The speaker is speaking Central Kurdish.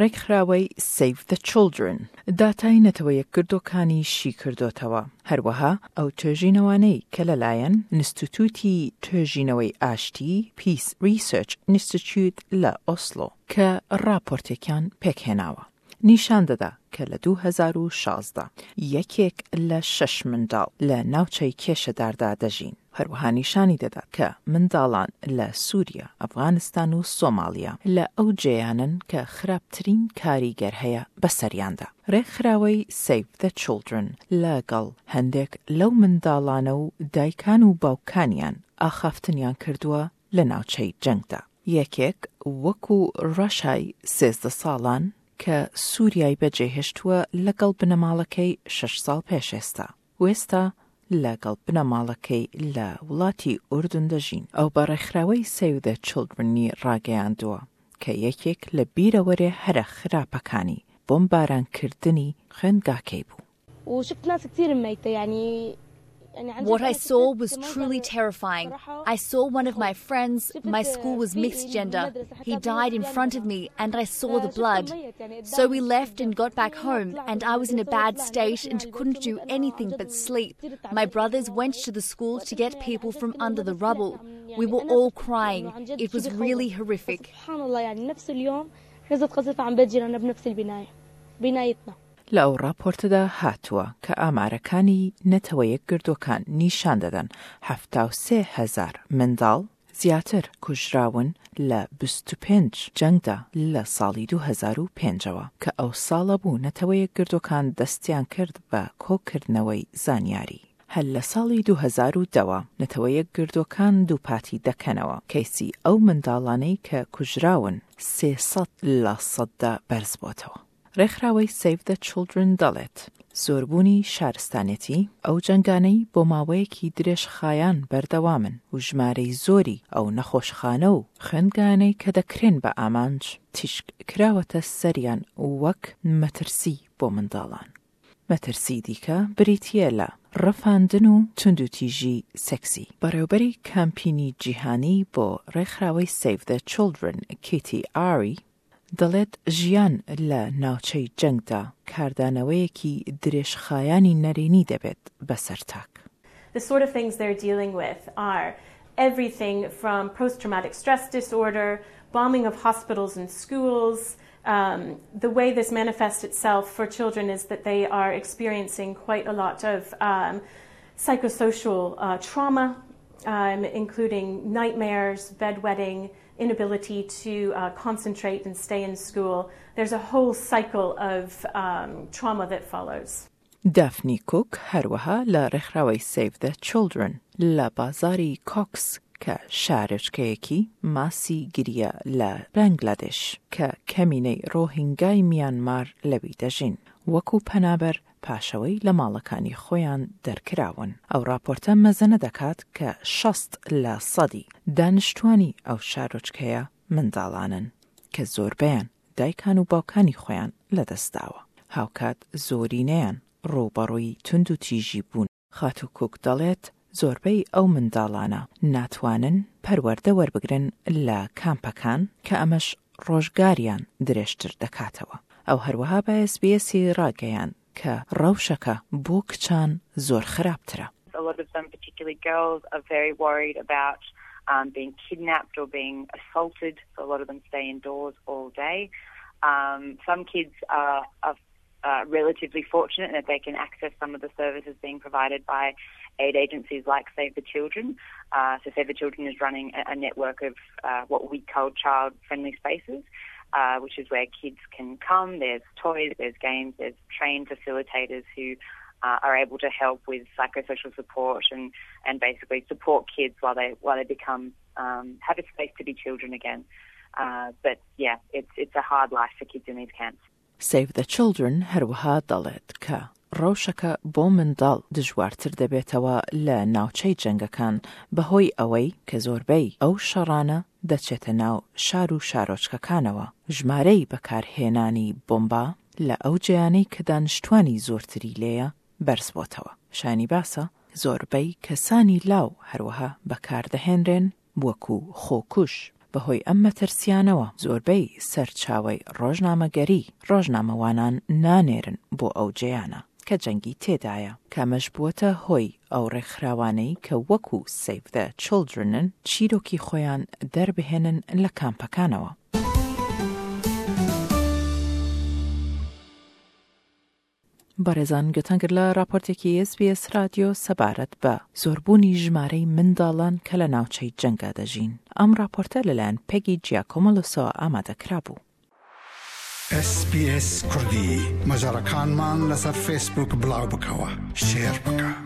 ڕێکخراوەی Save the Children داتای نەتەوە یەکگردووەکانی شیکردۆتەوە، هەروەها ئەو توێژینەوانەی کە لەلایەن ئینستیتوتی توێژینەوەی ئاشتی Peace Research Institute لە ئۆسلۆ کە ڕاپۆرتێکیان پێکهێناوە نیشان دەدا کە لە 2016 یەکێک لە شەش منداڵ لە ناوچەی کێشەداردا دەژین. هەروەها نیشانی دەدات کە منداڵان لە سووریا، ئەفغانستان و سۆماڵیا لە ئەو جێیانەن کە خراپترین کاریگەر هەیە بەسەریاندا. رێکخراوەی Save the Children لەگەڵ هەندێک لەو منداڵانە و دایکان و باوکانیان ئاخافتنیان کردووە لە ناوچەی جەنگدا. یەکێک وەکو ڕەشای 13 ساڵان کە سووریای بەجێهێشتووە لەگەڵ بنەماڵەکەی شەش ساڵ پێش ئێستا. وێستا لەگەڵ بنەماڵەکەی لە وڵاتی ئوردن دەژین. ئەو بە ڕێکخراوەی سەیڤ دە چڵدرنی ڕاگەیاندووە کە یەکێک لە بیرەوەرێ هەرە خراپەکانی بۆمبارانکردنی خوێندگاکەی بوو. وشفت ناس كتير ميتة يعني What I saw was truly terrifying. I saw one of my friends, my school was mixed gender. He died in front of me and I saw the blood. So we left and got back home, and I was in a bad state and couldn't do anything but sleep. My brothers went to the school to get people from under the rubble. We were all crying. It was really horrific. لە ئەو ڕاپۆرتەدا هاتووە کە ئامارەکانی نەتەوە یەکگردووەکان نیشان دەدەن 73 هەزار منداڵ زیاتر کوژراون لە 25 جەنگدا لە ساڵی 2005ەوە کە ئەو ساڵە بوو نەتەوە یەکگردووەکان دەستیان کرد بە کۆکردنەوەی زانیاری. هەر لە ساڵی 2010ەوە نەتەوە یەکگردووەکان دووپاتی دەکەنەوە کەیسی ئەو منداڵانەی کە کوژراون 300 لە سەددا بەرز بۆتەوە. ڕێکخراوەی Save the Children دەڵێت زۆربوونی شارستانێتی ئەو جەنگانەی بۆ ماوەیەکی درێژخایان بەردەوامن و ژمارەی زۆری ئەو نەخۆشخانە و خوێندگانەی کە دەکرێن بە ئامانج تیشک کراوەتە سەریان وەک مەترسی بۆ منداڵان. مەترسی دیکە بریتییە لە ڕفاندن و توندوتیژی سێکسی. بەڕێوبەری کامپینی جیهانی بۆ ڕێکخراوەی Save the Children کیتی ئاری دەڵێت ژیان لە ناوچەی جەنگدا کاردانەوەیەکی درێژخایانی نەرێنی دەبێت بەسەر تاک. The sort of things they're dealing with are everything from post-traumatic stress disorder, bombing of hospitals and schools. The way this manifests itself for children is that they are experiencing quite a lot of psychosocial trauma, including nightmares, bedwetting, inability to concentrate and stay in school. There's a whole cycle of trauma that follows. دافنی کوک هەروەها لە ڕێکخراوەی Save the Children لە بازاری کۆکس کە شارۆچکەیەکی ماسی گریە لە بەنگلادش کە کەمینەی ڕۆهینگای میانمار لەوی دەژین وەکو پەنابەر پاشەوەی لە ماڵەکانی خۆیان دەرکراون. ئەو راپۆرتە مەزەنە دەکات کە 60 لە سەدی دانیشتوانی ئەو شارۆچکەیە منداڵانن کە زۆربەیان دایکان و باوکانی خۆیان لەدەستداوە. هاوکات زۆرینەیان ڕووبەڕووی توند و تیژی بوون. خاتوو کوک دەڵێت زۆربەی ئەو منداڵانە ناتوانن پەروەردە وەربگرن لە کامپەکان کە ئەمەش ڕۆژگاریان درێژتر دەکاتەوە. ئەو هەروەها بە SBS ی ڕاگەیاند کە ڕەوشەکە بۆ کچان زۆر خراپترە. A lot of them, particularly girls, are very worried about being kidnapped or being assaulted. So a lot of them stay indoors all day. Some kids are relatively fortunate that they can access some of the services being provided by aid agencies like Save the Children. So Save the Children is running a network of what we call child-friendly spaces, which is where kids can come. There's toys, there's games, there's trained facilitators who are able to help with psychosocial support and basically support kids while they become have a space to be children again. But yeah, it's a hard life for kids in these camps. Save the Children هەروەها دەڵێت کە ڕەوشەکە بۆ منداڵ دژوارتر دەبێتەوە لە ناوچەی جەنگەکان بەهۆی ئەوەی کە زۆربەی ئەو شەڕانە دەچێتە ناو شار و شارۆچکەکانەوە. ژمارەی بەکارهێنانی بۆمبا لە ئەو جێیانەی کە دانیشتوانی زۆرتری لێیە بەرز بۆتەوە. شایانی باسە زۆربەی کەسانی لاو هەروەها بەکاردەهێنرێن وەکو خۆکوژ. بەهۆی ئەم مەترسیانەوە زۆربەی سەرچاوەی ڕۆژنامەگەری ڕۆژنامەوانان نانێرن بۆ ئەو جێیانە کە جەنگی تێدایە، کە ئەمەش بووەتە هۆی ئەو ڕێکخراوانەی کە وەکو Save the Children ن چیرۆکی خۆیان دەربهێنن لە کامپەکانەوە. بەڕێزان گوێتان گرت لە ڕاپۆرتێکی ئێس بی ئێس رادیۆ سەبارەت بە زۆربوونی ژمارەی منداڵان کە لە ناوچەی جەنگا دەژین. ئەم ڕاپۆرتە لەلایەن پێگی جیاکۆمۆلۆسەوە ئامادە کرابوو. ئێس بی ئێس کوردی مەجەڕەکانمان لەسەر فەیسبووک بڵاو بکەوە شێر بکە.